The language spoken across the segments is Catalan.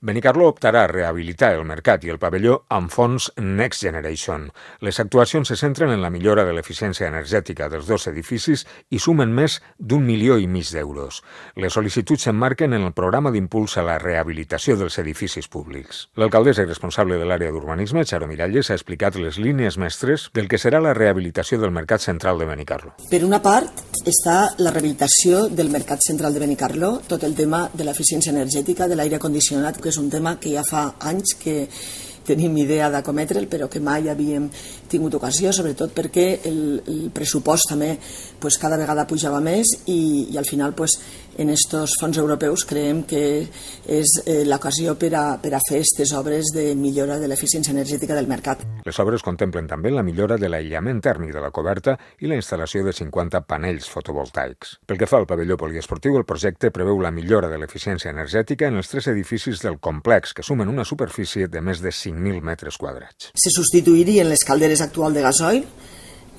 Benicarló optarà a rehabilitar el mercat i el pavelló amb fons Next Generation. Les actuacions se centren en la millora de l'eficiència energètica dels dos edificis i sumen més d'1,5 milions d'euros. Les sol·licituds s'emmarquen en el programa d'impuls a la rehabilitació dels edificis públics. L'alcaldessa i responsable de l'àrea d'urbanisme, Charo Miralles, ha explicat les línies mestres del que serà la rehabilitació del mercat central de Benicarló. Per una part està la rehabilitació del mercat central de Benicarló, tot el tema de l'eficiència energètica, de l'aire condicionat, que és un tema que ja fa anys que tenim idea d'acometre'l, però que mai havíem tingut ocasió, sobretot perquè el pressupost també cada vegada pujava més i al final en estos fons europeus creiem que és l'ocasió per a fer aquestes obres de millora de l'eficiència energètica del mercat. Les obres contemplen també la millora de l'aïllament tèrmic de la coberta i la instal·lació de 50 panells fotovoltaics. Pel que fa al pavelló poliesportiu, el projecte preveu la millora de l'eficiència energètica en els 3 edificis del complex, que sumen una superfície de més de 5.000 metres quadrats. Se substituirien les calderes actuals de gasoil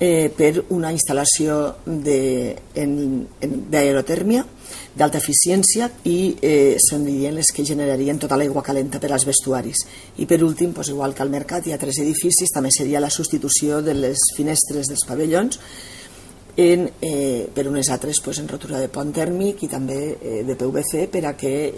per una instal·lació d'aerotèrmia d'alta eficiència i serien les que generarien tota l'aigua calenta per als vestuaris. I per últim, igual que al mercat hi ha 3 edificis, també seria la substitució de les finestres dels pavellons per unes altres en rotura de pont tèrmic i també de PVC per a que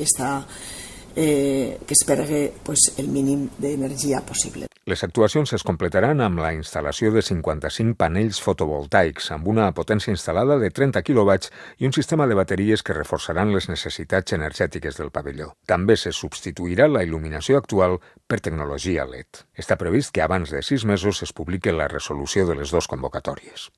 es perdui el mínim d'energia possible. Les actuacions es completaran amb la instal·lació de 55 panells fotovoltaics amb una potència instal·lada de 30 kW i un sistema de bateries que reforçaran les necessitats energètiques del pavelló. També se substituirà la il·luminació actual per tecnologia LED. Està previst que abans de 6 mesos es publiqui la resolució de les 2 convocatòries.